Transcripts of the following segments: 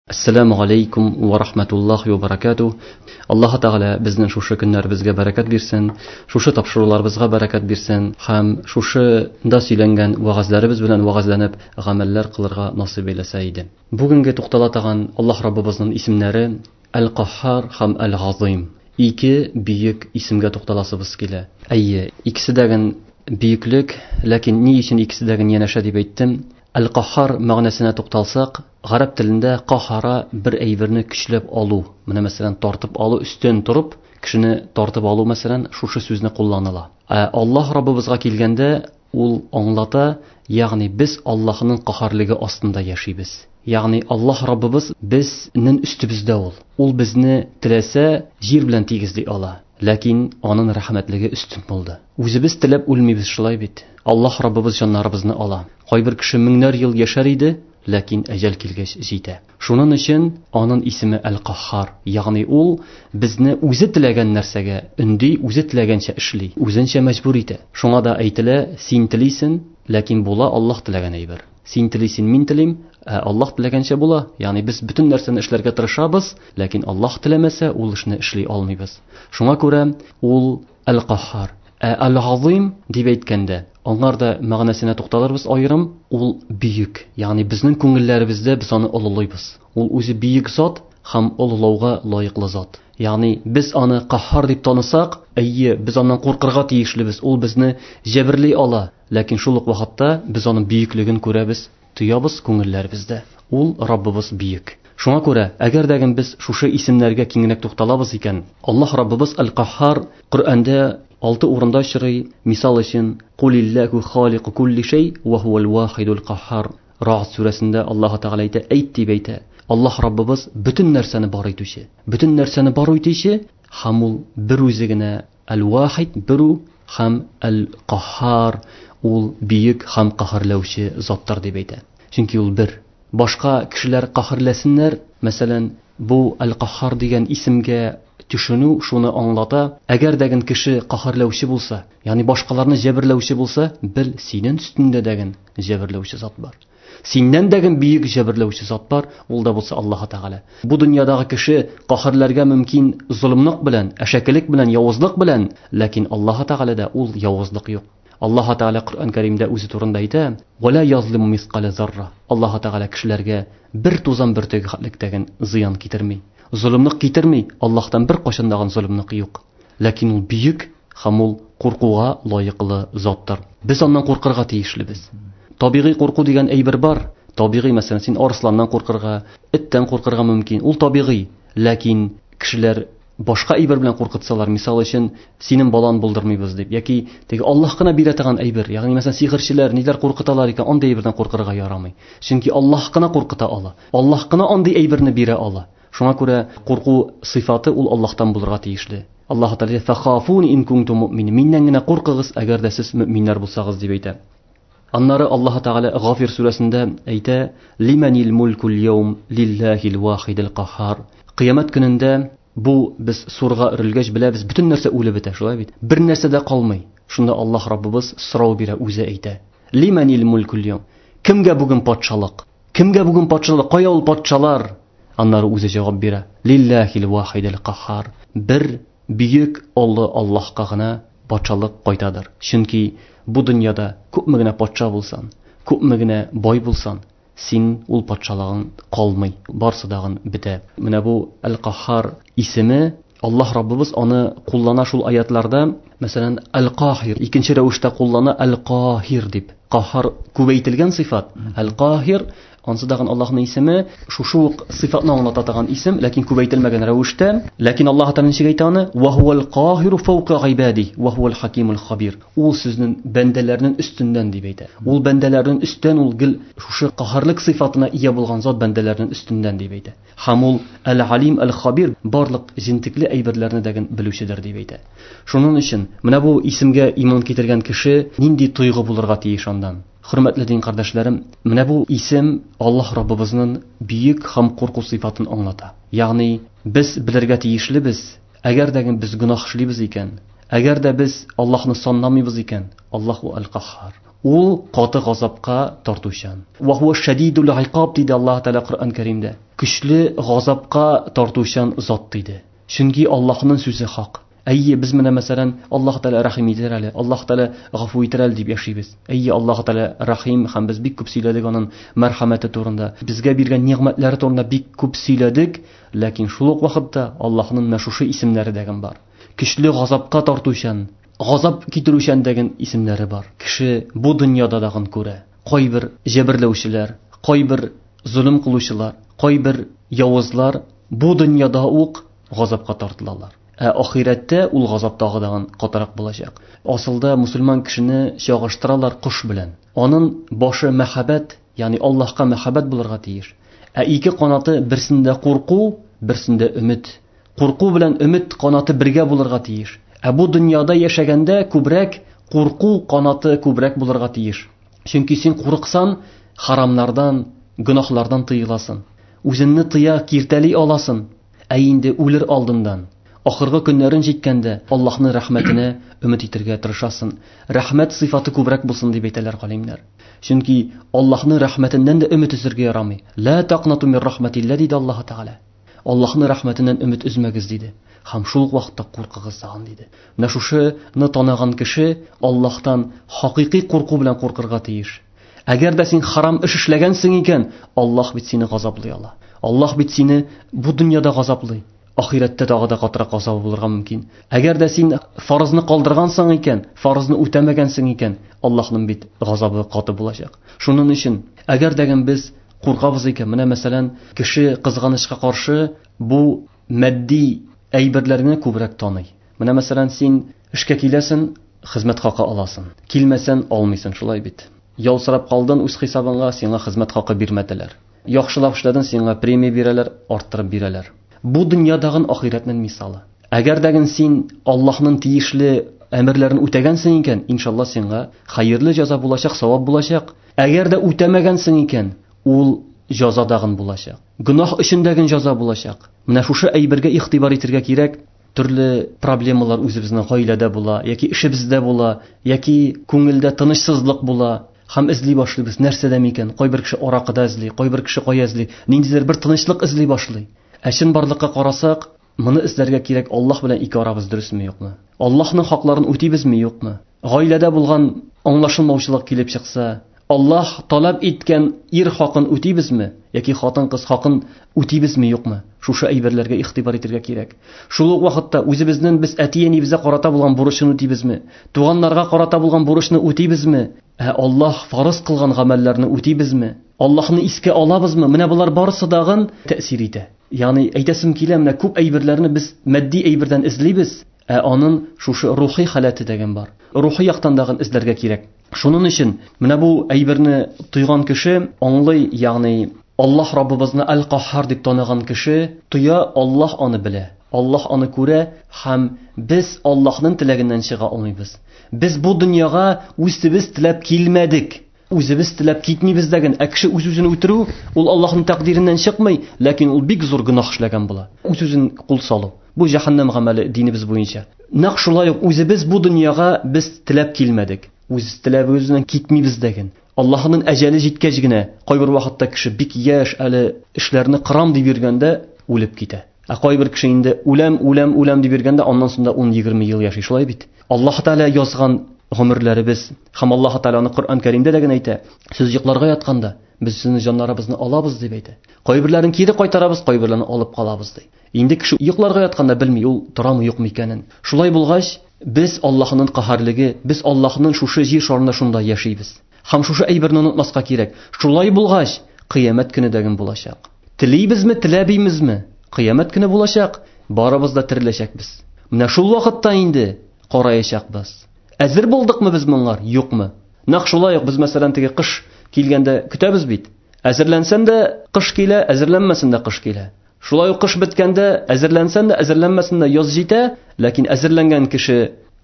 Ассаламу алейкум ва рахматуллахи ва баракатуh. Аллаһ Тәгалә безнең шушы көннәребезгә бәрәкәт бирсен, шушы тапшыруларыбызга бәрәкәт бирсен һәм шушында сөйләнгән вәгазьләребез белән вәгазьләнеп гамәлләр кылырга насыйп әйләсә иде. Бүгенге туктала торган Аллаһ Раббыбызның исемнәре Әл-Каһһар һәм Әл-Газыйм. Ике бөек исемгә тукталасыбыз килә. Әйе, икесе дә бөеклек, ләкин ни өчен икесе дә янәшә дип әйттем? Әл-Каһһар мәгънәсенә тукталсак, гарәп телендә каһара бер әйберне көчләп алу, менә мәсәлән, тартып алу, өстен торып, кешене тартып алу, мәсәлән, шушы сүзне кулланыла. Ә Аллаһ Раббыбызга килгәндә, ул аңлата, ягъни без Аллаһның каһарлыгы астында яшибез. Ягъни Аллаһ Раббыбыз безнең өстебездә ул. Ул безне теләсә җир белән тигезли ала. Ләкин аның рәхмәтлеге өстен булды. Үзебез теләп үлмибез шулай бит. Аллаһ Раббыбыз җаннарыбызны ала. Кайбер кеше меңнәр ел яшәр иде, ләкин әҗәл килгәч җитә. Шуның өчен аның исеме Әл-Каһһар, ягъни ул безне үзе теләгән нәрсәгә өнди, үзе теләгәнчә эшли, үзенчә мәҗбүр итә. Шуңа да әйтелә, син телисен, ләкин була Аллаһ теләгән әйбер. Син телисен, мин телим, ә Аллаһ теләгәнчә була. Ягъни без бөтен нәрсәне эшләргә тырышабыз, ләкин Аллаһ теләмәсә, ул эшне эшли алмыйбыз. Шуңа күрә ул Әл-Каһһар. Ә Әл-Газыйм дип әйткәндә, аңар да мәгънәсенә тукталырбыз аерым, ул бөек. Ягъни безнең күңелләребездә без аны олылыйбыз. Ул үзе бөек зат һәм олылауга лаеклы зат. Ягъни без аны Каһһар дип танысак, әйе, без аннан куркырга тиешлебез, ул безне җәберли ала, ләкин шул ук вакытта без аның бөеклеген күрәбез, тоябыз күңелләребездә. Ул Раббыбыз бөек. Шуңа күрә, әгәр дә без шушы исемнәргә киңрәк тукталабыз икән, Аллаһ Раббыбыз Әл-Каһһар Коръәндә 6 урында очрый. Мисал өчен, Кулиллаху халику кулли шей ва хуал вахидул каһһар. Рa'д сүрәсендә Аллаһ Тәгалә әйтә, әйт дип әйтә. Аллаһ Раббыбыз бөтен нәрсәне бар итүче. Бөтен нәрсәне бар итүче һәм ул бер үзе генә Әл-Вахид, бер һәм Әл-Каһһар, ул бөек һәм каһәрләүче заттыр дип әйтә. Чөнки ул бер. Башка кешеләр каһәрләсеннәр, мәсәлән, бу Әл-Каһһар дигән исемгә төшенү шуны аңлата, әгәр дәген кеше каһәрләүче булса, ягъни башкаларны җәберләүче булса, бел, синең өстендә дәген җәберләүче зат бар. Синнән дәген бөек җәберләүче зат бар, ул да булса Аллаһ Тәгалә. Бу дөньядагы кеше каһәрләргә мөмкин золымлык белән, әшәкелек белән, явызлык белән, ләкин Аллаһ Тәгаләдә ул явызлык юк. Аллаһ Тәгалә Коръән Кәримдә үзе турында әйтә: "Ва ла язлиму мискаля зарра". Аллаһ Тәгалә кешеләргә бер тузан бөртеге хәтлектәген зыян китерми. Золымлык китерми, Аллаһтан бер кайчан дагын золымлык юк. Ләкин ул бөек һәм ул куркуга лаеклы заттыр. Без аннан куркырга тиешлебез. Табигый курку дигән әйбер бар. Табигый, мәсәлән, син арысланнан куркырга, эттән куркырга мөмкин. Ул табигый. Ләкин кешеләр башка әйбер белән куркытсалар, мисал өчен, синең балан булдырмыйбыз дип, яки теге Аллаһ кына бирә торган әйбер, ягъни мәсәлән, сихерчеләр ниләр куркыталар икән, андый әйбердән куркырга ярамый. Чөнки Аллаһ кына куркыта ала. Аллаһ кына андый әйберне бирә ала. Шуңа күрә курку сыйфаты ул Аллаһтан булырга тиешле. Аллаһ Тәгалә фахафуни ин кунтум муъминин. Миннән генә куркыгыз, әгәр дә сез мөэминнәр булсагыз дип әйтә. Аннары Аллаһ Тәгалә Гафир сүрәсендә әйтә: "Лиманил мулкул яум лиллахил вахидил каһһар". Кыямәт көнендә бу без сурга өрелгәч беләбез, бөтен нәрсә үлеп бетә, шулай бит? Бер нәрсә дә калмый. Шунда Аллаһ Раббыбыз сорау бирә, үзе әйтә: "Лиманил мулкул яум". Кемгә бүген патшалык? Кемгә бүген патшалык? Кая ул патшалар? Аннары үзе җавап бирә: "Лиллахил вахидил каһһар". Бер бөек олы Аллаһка гына патшалык кайтадыр. Чөнки бу дөньяда күпме генә патша булсан, күпме генә бай булсан, син ул патшалыгың калмый, барсы дагын бетә. Менә бу Әл-Каһһар исеме Аллаһ Раббыбыз аны куллана шул аятларда, мәсәлән, Әл-Каһир икенче рәвештә куллана Әл-Каһир дип. Каһар күбәйтелгән сыйфат. Әл-Каһир ансы дагын Аллаһның исеме, шушы ук сыйфатны аңлата торган исем, ләкин күбәйтелмәгән рәвештә. Ләкин Аллаһ Тәгалә ничек әйтә аны? Ва хуал каһиру фаука гыйбади, ва хуал хакимул хабир. Ул сүзнең бәндәләрнең өстеннән дип әйтә. Ул бәндәләрнең өстен ул гел шушы каһарлык сыйфатына ия булган зат бәндәләрнең өстеннән дип әйтә. Һәм ул әл-Алим әл-Хабир, барлык җентекле әйберләрне дә белүчедер дип әйтә. Шуның өчен менә бу исемгә иман китергән кеше нинди тойгы булырга тиеш андан? Хөрмәтле дин кардәшләрем, менә бу исем Аллаһ Раббыбызның бөек һәм курку сыйфатын аңлата. Ягъни без белергә тиешлебез, әгәр дә без гөнаһ эшлибез икән, әгәр дә без Аллаһны санламыйбыз икән, Аллаһу әл-Каһһар. Ул каты газапка тартучан. Ва хуа шадидул икаб диде Аллаһ Тәгалә Коръән Кәримдә. Көчле газапка тартучан зат диде. Чөнки Аллаһның сүзе хак. Әйе, без менә мәсәлән, Аллаһ Тәгалә рәхим итер әле, Аллаһ Тәгалә гафу итер әле дип яшибез. Әйе, Аллаһ Тәгалә рәхим һәм без бик күп сөйләдек аның мәрхәмәте турында. Безгә биргән нигъмәтләре турында бик күп сөйләдек, ләкин шул ук вакытта Аллаһның менә шушы исемнәре дә бар. Көчле газапка тартучан, газап китерүчән дигән исемнәре бар. Кеше бу дөньяда дагын күрә. Кайбер җәберләүчеләр, кайбер золым кылучылар, кайбер явызлар бу дөньяда ук газапка тартылалар. Ә ахирәттә ул газап тагы дагын катырак булачак. Асылда мусульман кешене чагыштыралар кош белән. Аның башы мәхәббәт, ягъни Аллаһка мәхәббәт булырга тиеш. Ә ике канаты берсендә курку, берсендә өмет. Курку белән өмет канаты бергә булырга тиеш. Ә бу дөньяда яшәгәндә күбрәк курку канаты күбрәк булырга тиеш. Чөнки син курыксан, харамнардан, гөнаһлардан тыеласың. Үзеңне тыя, киртәли аласың. Ә инде үлер алдыннан, ахыргы көннәрен җиткәндә Аллаһның рәхмәтенә өмет итәргә тырышасың. Рәхмәт сыйфаты күбрәк булсын дип әйтәләр галимнәр. Чөнки Аллаһның рәхмәтеннән дә өмет өзәргә ярамый. Ла тaqнату мин рахматилла диде Аллаһ Тәгалә. Аллаһның рәхмәтеннән өмет өзмәгез диде. Һәм шул ук вакытта куркыгыз тагын диде. Менә шушыны таныган кеше Аллаһтан хакыйкый курку белән куркырга тиеш. Әгәр дә син харам эш эшләгәнсең икән, Аллаһ бит сине газаплый ала. Аллаһ бит сине бу дөньяда газаплый. Ахирәттә тагы да катырак газабы булырга мөмкин. Әгәр дә син фарызны калдыргансың икән, фарызны үтәмәгәнсең икән, Аллаһның бит газабы каты булачак. Шуның өчен, әгәр дә без куркабыз икән, менә мәсәлән, кеше кызганычка каршы бу матди әйберләрне күбрәк таный. Менә мәсәлән, син эшкә киләсең, хезмәт хакы аласың. Килмәсән, алмыйсың, шулай бит. Ял сорап калдың үз хисабыңа, сиңа хезмәт хакы бирмәделәр. Яхшылап эшләдең, сиңа премия бирәләр, арттырып бирәләр. Бу дөньядагы ахирәтнең мисалы. Әгәр дә син Аллаһның тиешле әмерләрен үтәгәнсең икән, иншалла сиңа хәерле җәза булачак, савап булачак. Әгәр дә үтәмәгәнсең икән, ул җәза дагын булачак. Гөнаһ өчен дә җәза булачак. Менә шушы әйбергә игътибар итәргә кирәк. Төрле проблемалар үзебезнең гаиләдә була, яки эшебездә була, яки күңелдә тынычсызлык була. Һәм эзли башлыйбыз, нәрсәдә микән? Кайбер кеше аракыда эзли, кайбер кеше кая эзли, ниндидер бер тынычлык эзли башлый. Ә чынбарлыкка карасак, моны эзләргә кирәк, Аллаһ белән ике арабыз дөресме, юкмы? Аллаһның хакларын үтибезме, юкмы? Гаиләдә булган аңлашылмаучылык килеп чыкса, Аллаһ таләп иткән ир хакын үтибезме, яки хатын-кыз хакын үтибезме, юкмы? Шушы әйберләргә игътибар итәргә кирәк. Шул ук вакытта үзебезнең без әти-әнибезгә карата булган бурычны үтибезме? Туганнарга карата булган бурычны үтибезме? Ә Аллаһ фарыз кылган гамәлләрне үтибезме? Аллаһны искә алабызмы? Менә болар барысы дагын тәэсир итә. Ягъни әйтәсем килә, менә күп әйберләрне без матди әйбердән эзлибез, ә аның шушы рухи халәте дигән бар. Рухи яктан дагын эзләргә кирәк. Шуның өчен менә бу әйберне тойган кеше аңлый, ягъни Аллаһ Раббыбызны Әл-Каһһар дип таныган кеше тоя, Аллаһ аны белә, Аллаһ аны күрә һәм без Аллаһның теләгеннән чыга алмыйбыз. Без бу дөньяга үзебез теләп килмәдек. Үзебез теләп китмибез дәген. Ә кеше үз-үзен үтерү, ул Аллаһның тәкъдиреннән чыкмый, ләкин ул бик зур гөнаһ эшләгән була. Үз-үзен кул салу. Бу җәһәннәм гамәле динебез буенча. Нәкъ шулай ук үзебез бу дөньяга без теләп килмәдек. Үз теләбебез белән китмибез дәген. Аллаһның әҗәле җиткәч генә, кайбер вакытта кеше бик яшь, әле эшләрне кырам дип йөргәндә үлеп китә. Ә кайбер кеше инде үләм, үләм, үләм дип йөргәндә, аннан соң да 10-20 ел яши, шулай бит. Аллаһ Тәгалә язган гомерләребез һәм Аллаһ Тәгалә аны Коръән Кәримдә дә генә әйтә. Сез йокларга ятканда без сезнең җаннарыбызны алабыз дип әйтә. Кайберләрен кире кайтарабыз, кайберләрен алып калабыз ди. Инде кеше йокларга ятканда белми, ул торамы, юкмы икәнен. Шулай булгач, без Аллаһның каһәрлеге, без Аллаһның шушы җир шарында шунда яшибез. Һәм шушы әйберне онытмаска кирәк. Шулай булгач, кыямәт көне дә булачак. Телибезме, теләмибезме? Кыямәт көне булачак, барыбыз да тереләчәкбез. Менә шул вакытта инде караячакбыз. Әзер булдыкмы без моңар, юкмы? Нәкъ шулай ук без мәсәлән теге кыш килгәндә көтәбез бит. Әзерләнсән дә кыш килә, әзерләнмәсән дә кыш килә. Шулай ук кыш беткәндә әзерләнсән дә, әзерләнмәсән дә яз җитә, ләкин әзерләнгән кеше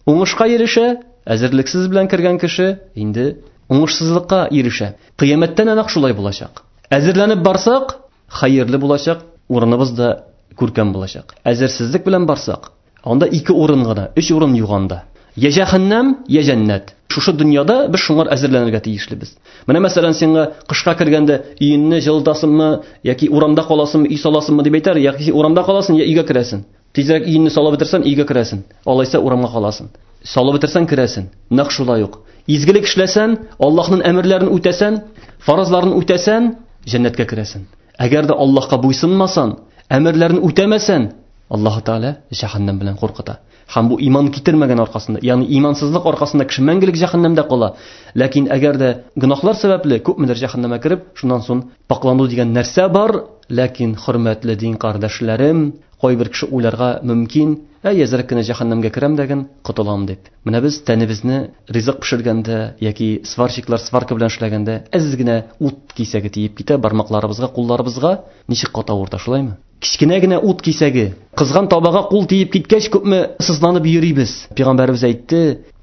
уңышка ирешә, әзерлексез белән кергән кеше инде уңышсызлыкка ирешә. Кыямәттә нәкъ шулай булачак. Әзерләнеп барсак, хәерле булачак, урыныбыз да күркәм булачак. Әзерсезлек белән барсак, анда ике урын гына, өч урын юк анда. Я җәһәннәм, я җәннәт. Шушы дөньяда без шуңар әзерләнергә тиешлебез. Менә мәсәлән, сиңа кышка кергәндә өеңне җылытасыңмы яки урамда каласыңмы, өй саласыңмы дип әйтәр, яки урамда каласың, я өйгә керәсең. Тизрәк өеңне салып бетерсәң, өйгә керәсең. Алайса урамга каласың. Салып бетерсәң, керәсең. Нәкъ шулай ук. Изгелек эшләсәң, Аллаһның әмерләрен үтәсәң, фарызларын үтәсәң, җәннәткә керәсең. Әгәр дә Аллаһка буйсынмасаң, әмерләрен үтәмәсәң, Аллаһ Тәгалә җәһәннәм белән куркыта. Һәм бу иман китермәгән аркасында, ягъни имансызлык аркасында кеше мәңгелек җәһәннәмдә кала. Ләкин әгәр дә гөнаһлар сәбәпле күпмедер җәһәннәмгә кереп, шуннан соң паклану дигән нәрсә бар, ләкин хөрмәтле дин кардәшләрем, кайбер кеше уйларга мөмкин, әй, әзрәк кенә җәһәннәмгә керәм дәген, котылам дип. Менә без тәнебезне ризык пешергәндә яки сварщиклар сварка белән эшләгәндә әз генә ут кисәге тиеп китә бармакларыбызга, кулларыбызга, ничек каты авырта, шулаймы? Кечкенә генә ут кисәге, кызган табага кул тиеп киткәч, күпме сызланып йөрибез. Пәйгамбәребез әйтте,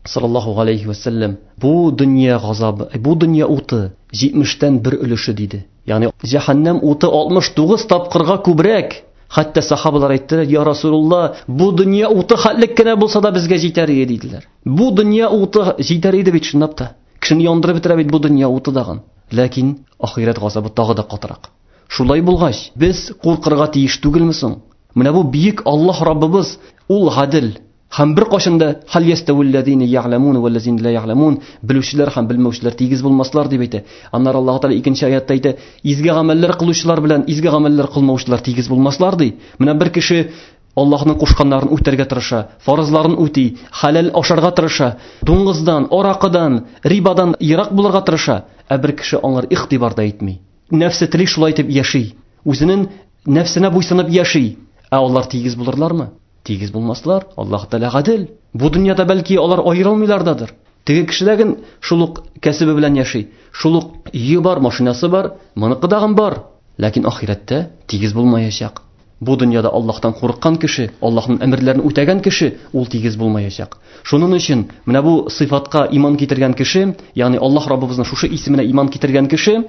саллаллаһу алейхи ва саллям, бу дөнья газабы, бу дөнья уты 70-тән бер өлеше диде. Ягъни җәһәннәм уты 69 тапкырга күбрәк. Хәтта сахабалар әйттеләр, я Расулулла, бу дөнья уты хәтлек кенә булса да безгә җитәр иде диделәр. Бу дөнья уты җитәр иде бит чынлап та. Кешене яндырып бетерә бит бу дөнья уты дагын. Ләкин ахирәт газабы тагы да катырак. Шулай булгач, без куркырга тиеш түгелме соң? Менә бу бөек Аллаһ Раббыбыз, ул гадел. Һәм бер кашын да хәл ястәвилләзина я'ламун вәлләзина ла я'ламун, белүчеләр һәм белмәүчеләр тигез булмаслар дип әйтә. Аннары Аллаһ Тәгалә икенче аятта әйтә, изге гамәлләр кылучылар белән изге гамәлләр кылмаучылар тигез булмаслар ди. Менә бер кеше Аллаһның кушканнарын үтәргә тырыша, фарызларын үти, хәләл ашарга тырыша, дуңгыздан, аракыдан, рибадан ерак булырга тырыша, ә бер кеше аңар игътибар да итми. Нәфсе тели шулай итеп яши. Үзенең нәфсенә буйсынып яши. Ә алар тигез булырлармы? Тигез булмаслар. Аллаһ Тәгалә гадел. Бу дөньяда бәлки алар аерылмыйлардадыр. Теге кешеләрен шул ук кәсебе белән яши. Шул ук өе бар, машинасы бар, моныкы дагын бар. Ләкин ахирәттә тигез булмаячак. Бу дөньяда Аллаһтан курыккан кеше, Аллаһның әмерләрен үтәгән кеше, ул тигез булмаячак. Шуның өчен менә бу сыйфатка иман китергән кеше, ягъни Аллаһ Раббыбызның шушы исеменә иман китергән кеше,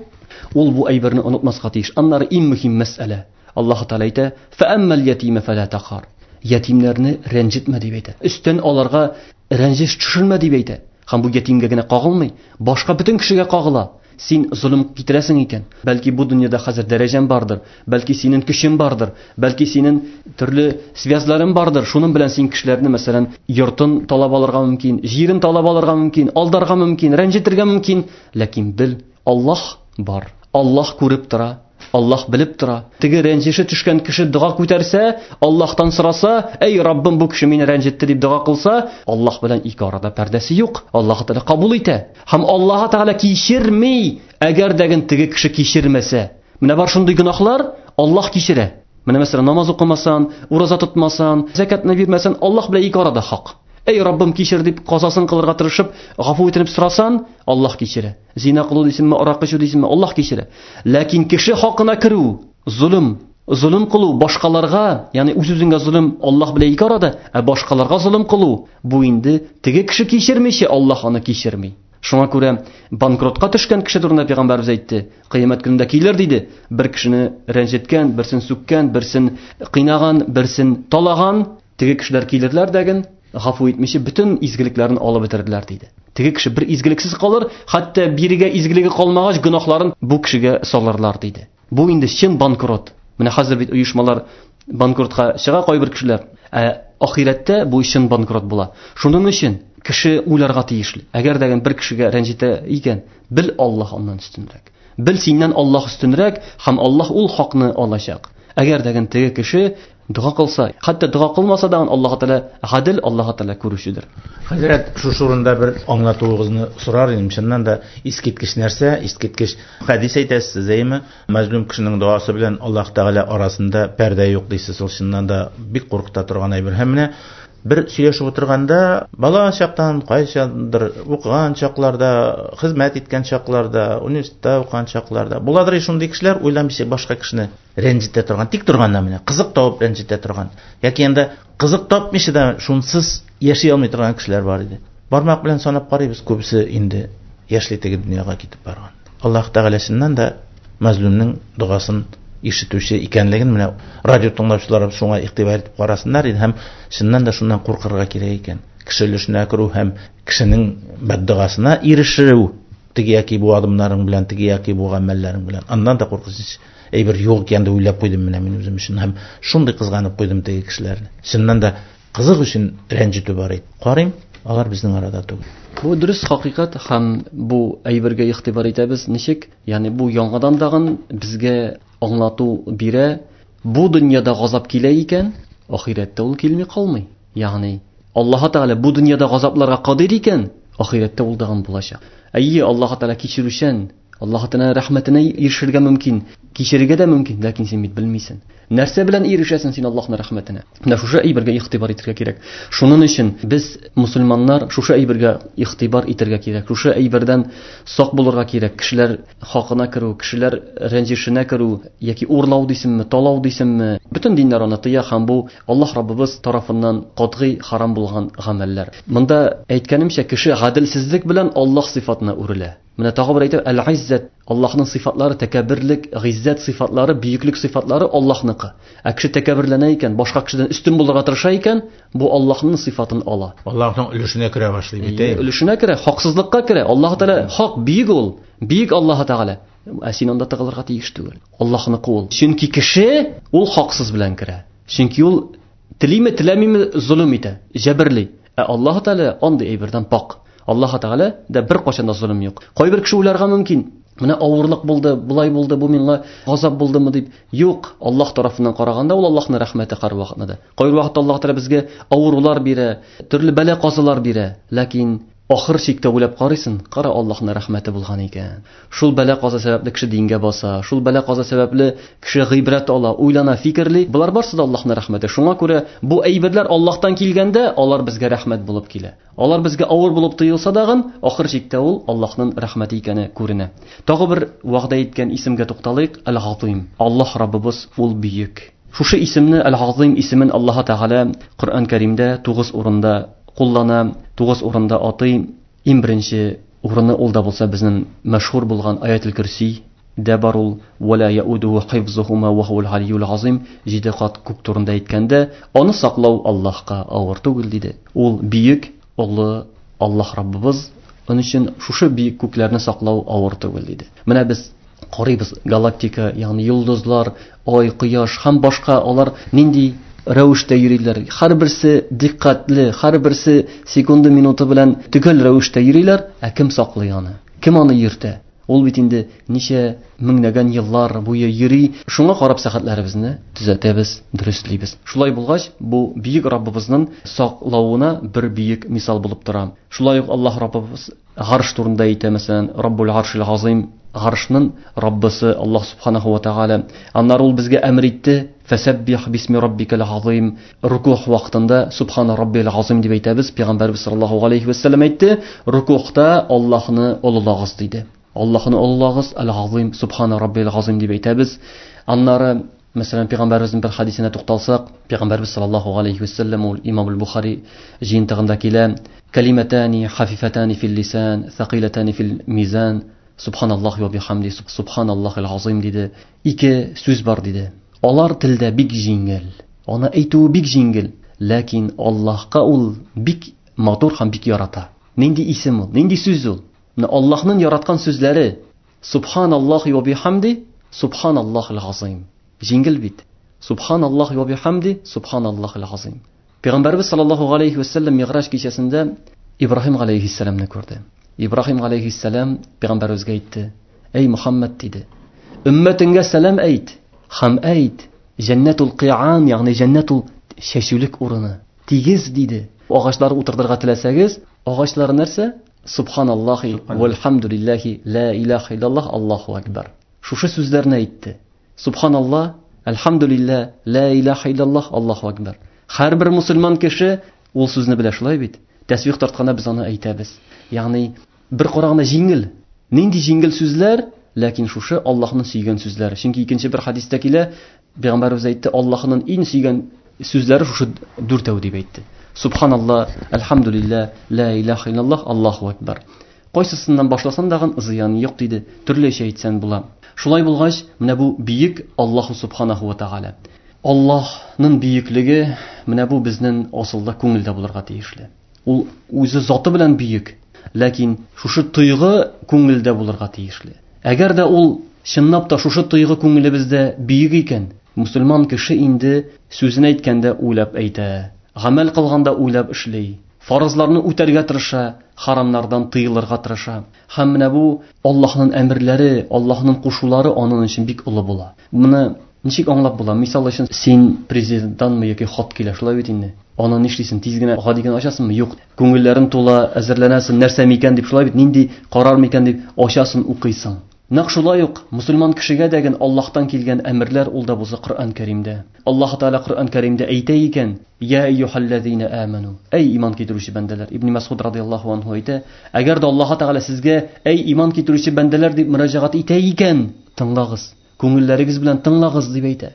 ул бу әйберне онытмаска тиеш. Аннары иң мөһим мәсьәлә. Аллаһ Тәгалә әйтә: "Фәәммәл ятима фәлә тақар". Ятимнәрне рәнҗетмә дип әйтә. Өстән аларга рәнҗеш төшермә дип әйтә. Һәм бу ятимгә генә кагылмый, башка бөтен кешегә кагыла. Син золым китерәсең икән, бәлки бу дөньяда хәзер дәрәҗәң бардыр, бәлки синең көчең бардыр, бәлки синең төрле связьларың бардыр. Шуның белән син кешеләрне, мәсәлән, йортын талап алырга мөмкин, җирен талап алырга мөмкин, алдарга мөмкин, рәнҗетергә мөмкин. Ләкин бел, Аллаһ бар. Аллаһ күреп тора. Аллаһ белеп тора. Теге рәнҗеше төшкән кеше дога күтәрсә, Аллаһтан сораса, әй Раббым, бу кеше мине рәнҗетте дип дога кылса, Аллаһ белән ике арада пәрдәсе юк. Аллаһ Тәгалә кабул итә. Һәм Аллаһ Тәгалә кичерми, әгәр дә теге кеше кичермәсә. Менә бар шундый гөнаһлар, Аллаһ кичерә. Менә мәсәлән, намаз укымасан, ураза тотмасан, зәкятны бирмәсән, Аллаһ белән ике арада хак. Әй Раббым, кичер дип казасын кылырга тырышып, гафу итенеп сорасан, Аллаһ кичерә. Зина кылу дисеңме, аракы эчү дисеңме, Аллаһ кичерә. Ләкин кеше хакына керү, золым, золым кылу башкаларга, ягъни үз-үзеңгә золым Аллаһ белән ике арада, ә башкаларга золым кылу, бу инде теге кеше кичермичә Аллаһ аны кичерми. Шуңа күрә банкротка төшкән кеше турында пәйгамбәрбез әйтте, кыямәт көнендә килер диде. Бер кешене рәнҗеткән, берсен сүккән, берсен кыйнаган, берсен талаган, теге кешеләр килерләр дәген, гафу итмичә бөтен изгелекләрен алып бетерделәр диде. Теге кеше бер изгелексез калыр, хәтта бирегә изгелеге калмагач, гөнаһларын бу кешегә салырлар диде. Бу инде чын банкрот. Менә хәзер бит оешмалар банкротка чыга кайбер кешеләр. Ә ахирәттә бу чын банкрот була. Шуның өчен кеше уйларга тиешле. Әгәр дә бер кешегә рәнҗетә икән, бел Аллаһ аннан өстенрәк. Бел синнән Аллаһ өстенрәк һәм Аллаһ ул хакны алачак. Әгәр дә теге кеше дога кылса, хәтта дога кылмаса да Аллаһ Тәгалә гадел, Аллаһ Тәгалә күрүчедер. Хәзрәт, шушы урында бер аңлатуыгызны сорар идем. Чыннан да искиткеч нәрсә, искиткеч хәдис әйтәсез сез, әйеме? Мәзлум кешенең догасы белән Аллаһ Тәгалә арасында пәрдә юк дисез. Ул чыннан да бик куркыта торган әйбер. Һәм менә бер сөйләшеп утырганда, бала чактан, кайчандыр укыган чакларда, хезмәт иткән чакларда, университетта укыган чакларда, буладыр шундый кешеләр, уйламыйча башка кешене рәнҗетә торган, тик торганда менә кызык табып рәнҗетә торган, яки анда кызык тапмыйча да шунсыз яши алмый торган кешеләр бар иде. Бармак белән санап карыйбыз, күбесе инде яшьли теге дөньяга китеп барган. Аллаһ Тәгалә чыннан да мәзлумның догасын ишетүче икәнлеген менә радио тыңлаучылар шуңа игътибар итеп карасыннар иде һәм чыннан да шуннан куркырга кирәк икән. Кеше өлешенә керү һәм кешенең бәддогасына ирешү, теге яки бу адымнарың белән, теге яки бу гамәлләрең белән. Аннан да куркыныч әйбер юк икән дип уйлап куйдым менә мин үзем өчен һәм шундый кызганып куйдым теге кешеләрне. Чыннан да кызык өчен рәнҗетү бар иде. Карыйм, алар безнең арада түгел. Бу дөрес хакыйкать һәм бу әйбергә игътибар итәбез. Ничек? Ягъни бу яңадан тагын безгә аңлату бирә. Бу дөньяда газап килә икән, ахирәттә ул килми калмый. Ягъни Аллаһ Тәгалә бу дөньяда газапларга кадир икән, ахирәттә ул тагын булачак. Әйе, Аллаһ Тәгалә кичерүчән, Аллаһ Тәгалә рәхмәтенә ирешергә мөмкин, кичерергә дә мөмкин, ләкин син бит белмисең. Нәрсә белән ирешәсең син Аллаһның рәхмәтенә? Менә шушы әйбергә игътибар итәргә кирәк. Шуның өчен без мусульманнар шушы әйбергә игътибар итәргә кирәк. Шушы әйбердән сак булырга кирәк. Кешеләр хакына керү, кешеләр рәнҗешенә керү яки урлау дисеңме, талау дисеңме, бөтен диннәр аны тыя һәм бу Аллаһ Раббыбыз тарафыннан катгый харам булган гамәлләр. Монда әйткәнемчә, кеше гаделсезлек белән Аллаһ сыйфатына үрелә. Менә тагы бер әйтәм, әл-Иззәт, Аллаһның сыйфатлары, тәкәбберлек, гыйззәт сыйфатлары, бөеклек сыйфатлары Аллаһныкы. Ә кеше тәкәбберләнә икән, башка кешедән өстен булырга тырыша икән, бу Аллаһның сыйфатын ала. Аллаһның өлешенә керә башлый бит. Өлешенә керә, хаксызлыкка керә. Аллаһ Тәгалә хак, бөек ул. Бөек Аллаһ Тәгалә. Ә син анда тыгылырга тиеш түгел. Аллаһныкы ул. Чөнки кеше ул хаксыз белән керә. Чөнки ул телиме, теләмиме золым итә, җәберли. Ә Аллаһ Тәгалә андый әйбердән пак. Аллаһ Тәгалә дә бер кайчан да золым юк. Кайбер кеше уйларга мөмкин, менә авырлык булды, болай булды, бу миңа газап булдымы дип. Юк, Аллаһ тарафыннан караганда ул Аллаһның рәхмәте һәрвакытны да. Кайбер вакытта Аллаһ Тәгалә безгә авырулар бирә, төрле бәла-казалар бирә, ләкин ахыр чиктә уйлап карыйсың, кара Аллаһның рәхмәте булган икән. Шул бәла-каза сәбәпле кеше дингә баса, шул бәла-каза сәбәпле кеше гыйбрәт ала, уйлана, фикерли. Болар барсы да Аллаһның рәхмәте. Шуңа күрә бу әйберләр Аллаһтан килгәндә, алар безгә рәхмәт булып килә. Алар безгә авыр булып тоелса дагын, ахыр чиктә ул Аллаһның рәхмәте икәне күренә. Тагы бер вәгъдә иткән исемгә тукталыйк, Әл-Газыйм. Аллаһ Раббыбыз ул бөек. Шушы исемне, Әл-Газыйм исемен Аллаһ Тәгалә Коръән Кәримдә 9 урында куллана, 9 урында атый. Иң беренче урыны ул да булса безнең мәшһүр булган Аятел Көрси дә бар ул, «Вә ла яудуху хифзухума ва хуал алийюл азим», 7 кат күк турында әйткәндә, аны саклау Аллаһка авыр түгел диде. Ул бөек, олы Аллаһ Раббыбыз, оның өчен шушы бөек күкләрне саклау авыр түгел диде. Менә без карыйбыз галактика, ягъни йолдызлар, ай, кояш һәм башка алар нинди рәвештә йөриләр. Һәрберсе диккәтле, һәрберсе секунды минуты белән төгәл рәвештә йөриләр. Ә кем саклый аны? Кем аны йөртә? Ул бит инде ничә меңләгән еллар буе йөри. Шуңа карап сәгатьләребезне төзәтәбез, дөреслибез. Шулай булгач, бу бөек Раббыбызның саклавына бер бөек мисал булып тора. Шулай ук Аллаһ Раббыбыз гарш турында әйтә, мәсәлән, Раббул Аршил Азим, гаршның Раббысы Аллаһ Субханаху ва Тааля. Аннары ул безгә әмер итте, Фәсәббих бисми раббикал азим. Рукух вакытында Субхана раббил азим дип әйтәбез. Пәйгамбәрбез саллаллаһу алейхи ва сәлләм әйтте, рукухта Аллаһны олылагыз диде. Аллаһны олылагыз, әл-Азим, Субхана раббил азим дип әйтәбез. Аннары, мәсәлән, пәйгамбәребезнең бер хадисенә тукталсак, пәйгамбәрбез саллаллаһу алейхи ва сәлләм ул Имам аль-Бухари җыентыгында килә. Калиматани хафифатани фил лисан, thaqилатани фил мизан. Субханаллахи ва бихамди, субханаллахил азим диде. Ике сүз бар диде. Алар телдә бик җиңел. Аны әйтүе бик җиңел, ләкин Аллаһка ул бик матур һәм бик ярата. Нинди исем ул? Нинди сүз ул? Менә Аллаһның яраткан сүзләре Субханаллахи ва бихамди, субханаллахил азим. Җиңел бит. Субханаллахи ва бихамди, субханаллахил азим. Пәйгамбәрбез саллаллаһу алейхи ва саллям Мигъраҗ кичәсендә Ибраһим алейхиссәламны күрде. Ибраһим алейхиссәлам пәйгамбәребезгә әйтте: "Эй Мухаммад, диде, өммәтеңгә сәлам әйт һәм әйт, җәннәтул кыян, ягъни җәннәтул чәчүлек урыны, тигез, диде. Агачлар утыртырга теләсәгез, агачлар нәрсә? Субханаллахи вальхамдулиллахи ла илаха иллаллах Аллаһу акбар. Шушы сүзләрне әйтте. Субханаллах, альхамдулиллах, ла илаха иллаллах Аллаһу акбар. Һәрбер мусульман кеше ул сүзне белә, шулай бит? Тәсбих тартканда без аны әйтәбез. Ягъни бер караганда җиңел. Нинди җиңел сүзләр, ләкин шушы Аллаһның сөйгән сүзләре. Чөнки икенче бер хадистә килә, Пәйгамбәребез әйтте, Аллаһның иң сөйгән сүзләре шушы дүртәү дип әйтте. Субханаллах, альхамдулиллах, ла илаха иллаллах, Аллаһу акбар. Кайсысыннан башласаң дагын зыян юк диде. Төрлечә әйтсәң була. Шулай булгач, менә бу бөек Аллаһу субханаху ва тааля. Аллаһның бөеклеге менә бу безнең асылда күңелдә булырга тиешле. Ул үзе заты белән бөек. Ләкин шушы тойгы күңелдә булырга тиешле. Әгәр дә ул чынлап та шушы тойгы күңелебездә бөек икән, мусульман кеше инде сүзен әйткәндә уйлап әйтә, гамәл кылганда уйлап эшли, фарызларны үтәргә тырыша, харамнардан тыелырга тырыша. Һәм менә бу Аллаһның әмерләре, Аллаһның кушулары аның өчен бик олы була. Моны ничек аңлап була? Мисал өчен, син президенттанмы яки хат килә, шулай бит инде. Аны нишлисең? Тиз генә гади генә ачасыңмы? Юк. Күңелләрең тула, әзерләнәсең, нәрсә микән дип, шулай бит, нинди карар микән дип ачасың, укыйсың. Нәкъ шулай ук мусульман кешегә дә Аллаһтан килгән әмерләр ул да булса Коръән Кәримдә. Аллаһ Тәгалә Коръән Кәримдә әйтә икән: "Я әйюһәлләзина аману", әй иман китерүче бәндәләр. Ибн Масуд радияллаһу анһу әйтә: әгәр дә Аллаһ Тәгалә сезгә әй иман китерүче бәндәләр дип мөрәҗәгать итә икән, тыңлагыз, күңелләрегез белән тыңлагыз дип әйтә.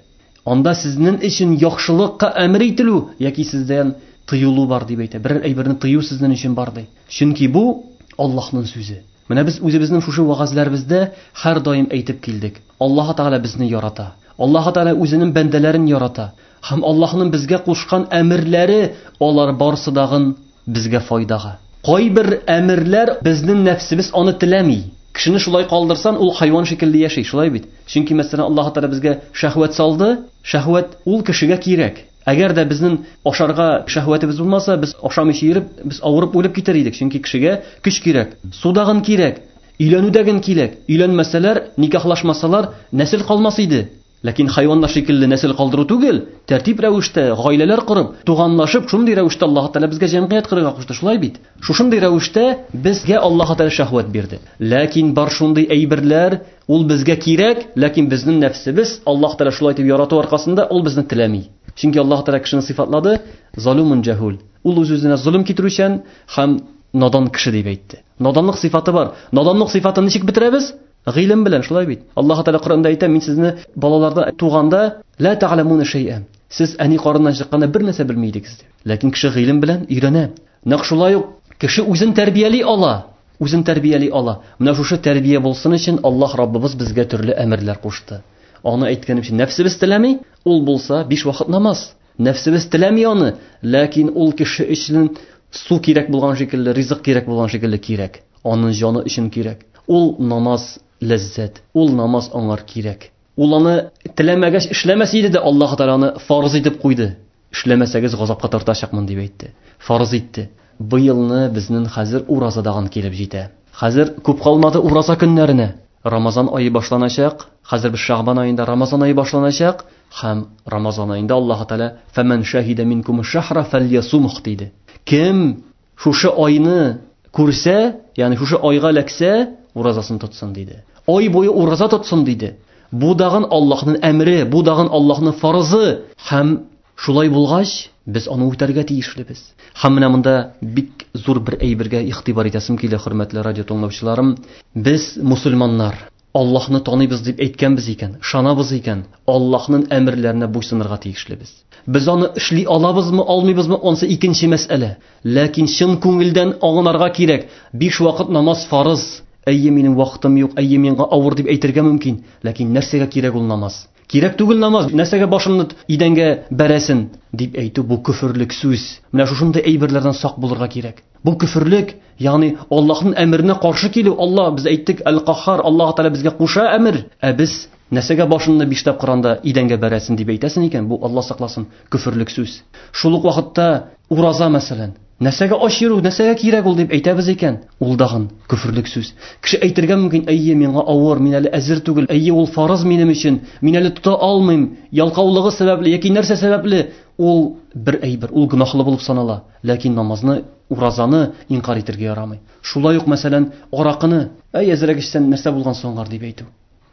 Анда сезнең өчен яхшылыкка әмер ителү яки сездән тыелу бар дип әйтә. Берәр әйберне тыю сезнең өчен бар ди. Чөнки бу Аллаһның сүзе. Менә без үзебезнең шушы вәгазьләребездә һәр даим әйтеп килдек. Аллаһ Тәгалә безне ярата. Аллаһ Тәгалә үзенең бәндәләрен ярата. Һәм Аллаһның безгә кушкан әмерләре алар барысы дагын безгә файдага. Кайбер әмерләр безнең нәфсебез аны теләми. Кешене шулай калдырсан, ул хайван шикелле яши, шулай бит? Чөнки мәсәлән Аллаһ Тәгалә безгә шәһвәт салды, шәһвәт ул кешегә кирәк. Әгәр дә безнең ашарга шәһвәтебез булмаса, без ашамыйча йөреп, без авырып үлеп китәр идек. Чөнки кешегә көч кирәк, судагын кирәк, өйләнүдәген кирәк. Өйләнмәсәләр, никахлашмасалар, нәсел калмас иде. Ләкин хайваннар шикелле нәсел калдыру түгел, тәртип рәвештә гаиләләр корып, туганлашып, шундый рәвештә Аллаһ Тәгалә безгә җәмгыять корырга кушты, шулай бит? Шушындый рәвештә безгә Аллаһ Тәгалә шәһвәт бирде. Ләкин бар шундый әйберләр, ул безгә кирәк, ләкин безнең нәфсебез Аллаһ Тәгалә шулай дип ярату аркасында ул безне теләми. Чөнки Аллаһ Тәгалә кешене сыйфатлады, залумун җәһул. Ул үз-үзенә золым китерүчән һәм надан кеше дип әйтте. Наданлык сыйфаты бар. Наданлык сыйфатын ничек бетерәбез? Гыйлем белән, шулай бит. Аллаһ Тәгалә Коръәндә әйтә, мин сезне балаларда туганда ла та'ламуна шәй'а. Сез әни карыннан чыкканда бер нәрсә белми идегез дип. Ләкин кеше гыйлем белән өйрәнә. Нәкъ шулай ук кеше үзен тәрбияли ала. Үзен тәрбияли ала. Менә шушы тәрбия булсын өчен Аллаһ Раббыбыз безгә төрле әмерләр кушты. Аны әйткәнемчә, нәфсебез теләми, ул булса 5 вакыт намаз. Нәфсебез теләми аны, ләкин ул кеше өчен су кирәк булган шикелле, ризык кирәк булган шикелле кирәк. Аның җаны өчен кирәк. Ул намаз ләззәт, ул намаз аңар кирәк. Ул аны теләмәгәч эшләмәс иде дә, Аллаһ Тәгалә аны фарыз итеп куйды. Эшләмәсәгез газапка тартачакмын дип әйтте. Фарыз итте. Быелны безнең хәзер уразадаган килеп җитә. Хәзер күп калмады ураза көннәренә. Рамазан айы башланачак. Хәзер без Шәгъбан аенда Рамазан айы башланачак һәм Рамазан аенда Аллаһ Тәгалә фәмән шаһида минкум шахра фәльясумх диде. Кем шушы айны күрсә, ягъни шушы айга эләксә, уразасын тотсын диде. Ай буе ураза тотсын диде. Бу дагын Аллаһның әмре, бу дагын Аллаһның фарызы һәм шулай булгач, без аны үтәргә тиешлебез. Һәм менә монда бик зур бер әйбергә игътибар итәсем килә, хөрмәтле радио тыңлаучыларым. Без мусульманнар, Аллаһны таныйбыз дип әйткәнбез икән, ышанабыз икән, Аллаһның әмерләренә буйсынырга тиешлебез. Без аны эшли алабызмы, алмыйбызмы, ансы икенче мәсьәлә. Ләкин чын күңелдән аңларга кирәк. 5 вакыт намаз фарыз. Әйе, минем вакытым юк, әйе, миңа авыр дип әйтергә мөмкин. Ләкин нәрсәгә кирәк ул намаз? Кирәк түгел намаз, нәрсәгә башыңны идәнгә бәрәсен дип әйтү бу көферлек сүз. Менә шушындый әйберләрдән сак булырга кирәк. Бу көферлек, ягъни Аллаһның әмеренә каршы килү. Аллаһ, без әйттек, Әл-Каххар, Аллаһ Тәгалә безгә куша әмер, ә без нәрсәгә башыңны биш тапкыр анда идәнгә бәрәсен дип әйтәсен икән, бу Аллаһ сакласын, көферлек сүз. Шул ук вакытта ураза мәсәлән, нәрсәгә ач йөрү, нәрсәгә кирәк ул дип әйтәбез икән, ул дагын көферлек сүз. Кеше әйтергә мөмкин, әйе, миңа авыр, мин әле әзер түгел, әйе, ул фарыз минем өчен, мин әле тота алмыйм, ялкаулыгы сәбәпле яки нәрсә сәбәпле, ул бер әйбер, ул гөнаһлы булып санала. Ләкин намазны, уразаны инкар итәргә ярамый. Шулай ук, мәсәлән, аракыны, әй, әзрәк эчсән, нәрсә булган соңгар дип әйтү.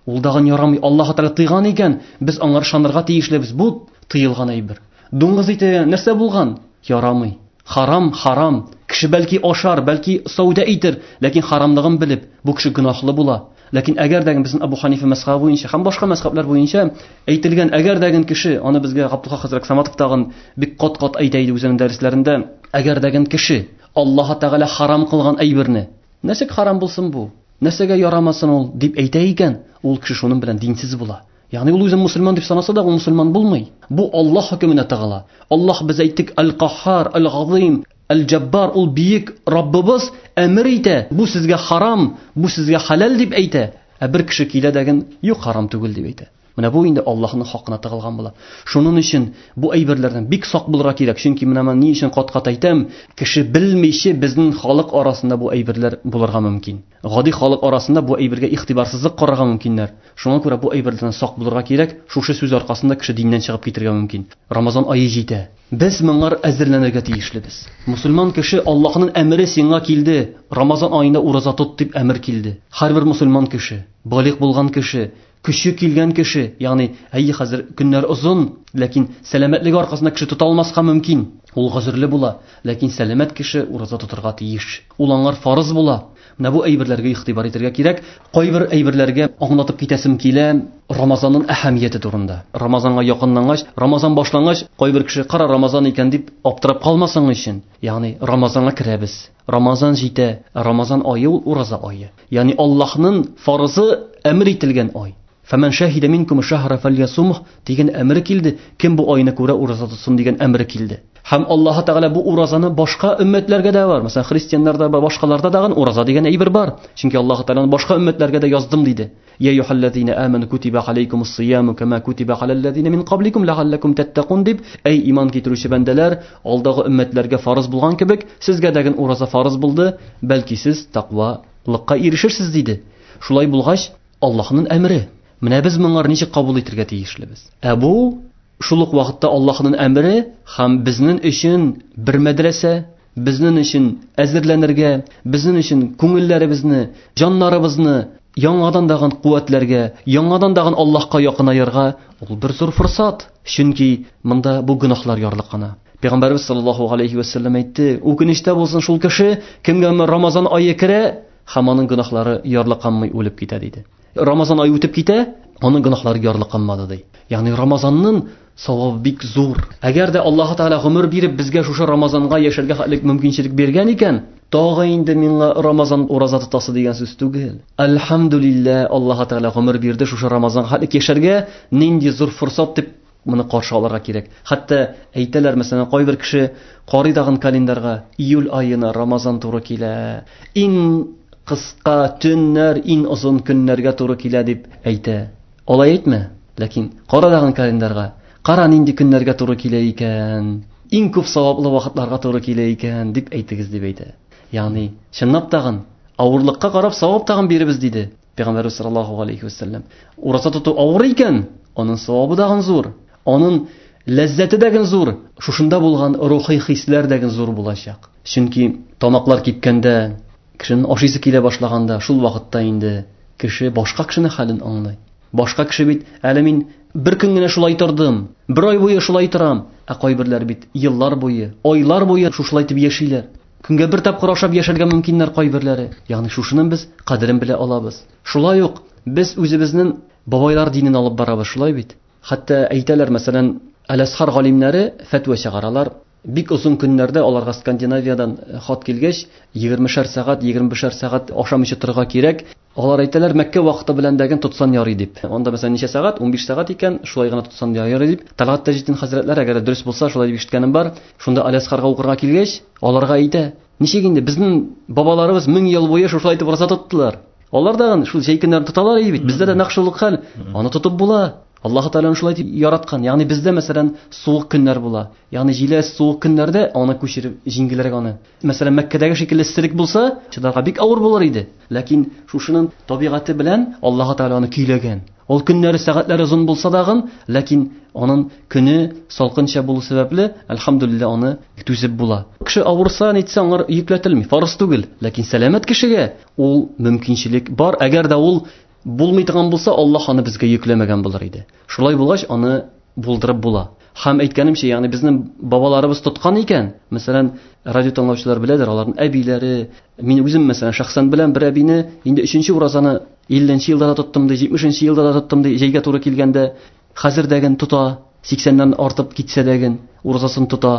Ул дагын ярамый. Аллаһ Тәгалә тыйган икән, без аңар ышанырга тиешлебез. Бу тыелган әйбер. Дуңгыз ите нәрсә булган? Ярамый. Харам, харам. Кеше бәлки ашар, бәлки сәүдә итер, ләкин харамлыгын белеп, бу кеше гөнаһлы була. Ләкин әгәр дә безнең Абу Ханифа мәзхәбе буенча һәм башка мәзхәбләр буенча әйтелгән, әгәр дә кеше, аны безгә Габдулхак хәзрәт Саматов тагын бик кат-кат әйтә иде үзенең дәресләрендә, әгәр дә кеше Аллаһ Тәгалә харам кылган әйберне, нәрсәгә харам булсын бу? Нәрсәгә ярамасын ул дип әйтә икән, ул кеше шуның белән динсез була. Ягъни ул үзен мусульман дип санаса да, ул мусульман булмый. Бу Аллаһ хөкеменә тыгыла. Аллаһ, без әйттек, Әл-Каххар, Әл-Газим. Әл-Җаббар, ул бөек Раббыбыз әмер итә, бу сезгә харам, бу сезгә хәләл дип әйтә. Ә бер кеше килә дәген, юк, харам түгел дип әйтә. Менә бу инде Аллаһның хакына тыгылган була. Шуның өчен бу әйберләрдән бик сак булырга кирәк. Чөнки менә мин ни өчен кат-кат әйтәм, кеше белмичә безнең халык арасында бу әйберләр булырга мөмкин. Гади халык арасында бу әйбергә игътибарсызлык карарга мөмкиннәр. Шуңа күрә бу әйберләрдән сак булырга кирәк. Шушы сүз аркасында кеше диннән чыгып китергә мөмкин. Рамазан ае җитә. Без моңар әзерләнергә тиешлебез. Мусульман кеше Аллаһның әмере сиңа килде. Рамазан аенда ураза тот дип әмер килде. Һәрбер мусульман кеше, балигъ булган кеше, көче килгән кеше, ягъни әйе хәзер көннәр озын, ләкин сәламәтлеге аркасында кеше тота алмаска мөмкин. Ул гозерле була, ләкин сәламәт кеше ураза тотырга тиеш. Ул аңар фарыз була. Менә бу әйберләргә игътибар итәргә кирәк. Кайбер әйберләргә аңлатып китәсем килә Рамазанның әһәмияте турында. Рамазанга якынлангач, Рамазан башлангач, кайбер кеше кара Рамазан икән дип аптырап калмасын өчен. Ягъни Рамазанга керәбез. Рамазан җитә. Рамазан ае ул ураза ае. Ягъни Аллаһның фарызы әмер ителгән ай. Фәмән шаһида минкум шаһра фальясумх дигән әмер килде. Кем бу айны күрә ураза тотсын дигән әмер килде. Һәм Аллаһ Тәгалә бу уразаны башка өммәтләргә дә бар. Мәсәлән, христианнарда да, башкаларда да ураза дигән әйбер бар. Чөнки Аллаһ Тәгалә башка өммәтләргә дә яздым диде. Я юхаллазина аману кутиба алейкумус сияму кама кутиба алаллазина мин кабликум ләгаллакум таттакун дип, әй иман китерүче бәндәләр, алдагы өммәтләргә фарыз булган кебек, сезгә дә ураза фарыз булды, бәлки сез тәкъвалыкка ирешерсез диде. Шулай булгач, Аллаһның әмере. Менә без моңар ничек кабул итәргә тиешлебез? Ә бу шул ук вакытта Аллаһның әмере һәм безнең өчен бер мәдрәсә, безнең өчен әзерләнергә, безнең өчен күңелләребезне, җаннарыбызны яңадан дагын куәтләргә, яңадан дагын Аллаһка якынаерга ул бер зур форсат. Чөнки монда бу гөнаһлар ярлыкана. Пәйгамбәрбез саллаллаһу алейхи ва саллям әйтте, үкенечтә булсын шул кеше, кемгә Рамазан ае керә, һәм аның гөнаһлары ярлыканмый үлеп китә диде. Рамазан ае үтеп китә, аның гөнаһлары ярлыканмады ди. Ягъни Рамазанның савабы бик зур. Әгәр дә Аллаһ Тәгалә гомер биреп безгә шушы Рамазанга яшәргә хәтлек мөмкинчелек биргән икән, тагы инде миңа Рамазан ураза тотасы дигән сүз түгел. Әлхәмдүлилләһ, Аллаһ Тәгалә гомер бирде шушы Рамазанга хәтлек яшәргә, нинди зур форсат дип моны каршы алырга кирәк. Хәтта әйтәләр, мәсәлән, кайбер кеше карый дагын календарьга, июль аена Рамазан туры килә. Иң кыска төннәр, иң озын көннәргә туры килә дип әйтә. Алай әйтмә, ләкин кара дагын календарьга, кара нинди көннәргә туры килә икән, иң күп саваплы вакытларга туры килә икән дип әйтегез дип әйтә. Ягъни, чынлап тагын авырлыкка карап савап тагын биребез диде Пәйгамбәрбез саллаллаһу алейхи ва саллям. Ураза тоту авыр икән, аның савабы дагын зур, аның ләззәте дә зур, шушында булган рухи хисләр дә зур булачак. Чөнки тамаклар кипкәндә, кешенең ашыйсы килә башлаганда, шул вакытта инде кеше башка кешенең хәлен аңлый. Башка кеше бит, әле мин бер көн генә шулай тордым, бер ай буе шулай торам, ә кайберләр бит еллар буе, айлар буе шушылай итеп яшиләр. Көнгә бер тапкыр ашап яшәргә мөмкиннәр кайберләре. Ягъни шушының без кадерен белә алабыз. Шулай ук без үзебезнең бабайлар динен алып барабыз, шулай бит. Хәтта әйтәләр, мәсәлән, Әл-Әзһар галимнәре фәтва чыгаралар. Бик озын көннәрдә аларга Скандинавиядан хат килгәч, 20-шәр сәгать, 25-шәр сәгать ашамыйча торырга кирәк. Алар әйтәләр, Мәккә вакыты белән дәген тотсан ярый дип. Анда мәсәлән ничә сәгать? 15 сәгать икән, шулай гына тотсан ярый дип. Талгат Таҗетдин хәзрәтләре, әгәр дөрес булса, шулай дип ишеткәнем бар. Шунда Әл-Әзһарга укырга килгәч, аларга әйтә: "Ничек инде безнең бабаларыбыз 1000 ел буе шушылай итеп ураза тоттылар. Алар да шул җәй көннәрен тоталар иде бит. Бездә дә нәкъ шул ук хәл. Аны тотып була. Аллаһ Тәгалә шулай дип яраткан. Ягъни бездә мәсәлән суык көннәр була. Ягъни җиләс суык көннәрдә аны күчереп җиңгелрәк аны. Мәсәлән, Мәккәдәге шикелле эсселек булса, чыдарга бик авыр булыр иде. Ләкин шушының табигате белән Аллаһ Тәгалә аны көйләгән. Ул көннәре, сәгатьләре озын булса дагын, ләкин аның көне салкынча булу сәбәпле, әлхәмдүлилләһ, аны түзеп була. Кеше авырса, нитсә, аңар йөкләтелми, фарыз түгел. Ләкин сәламәт кешегә ул мөмкинчелек бар. Әгәр дә ул булмый торган булса, Аллаһ аны безгә йөкләмәгән булыр иде. Шулай булгач, аны булдырып була. Һәм әйткәнемчә, ягъни безнең бабаларыбыз тоткан икән, мәсәлән, радио тыңлаучылар беләдер, аларның әбиләре, мин үзем мәсәлән шәхсән беләм бер әбине, инде 3-нче уразаны 50-нче елда да тоттым ди, 70-нче елда да тоттым ди, җәйгә туры килгәндә, хәзер дәген тота, 80-нән артып китсә дәген уразасын тота.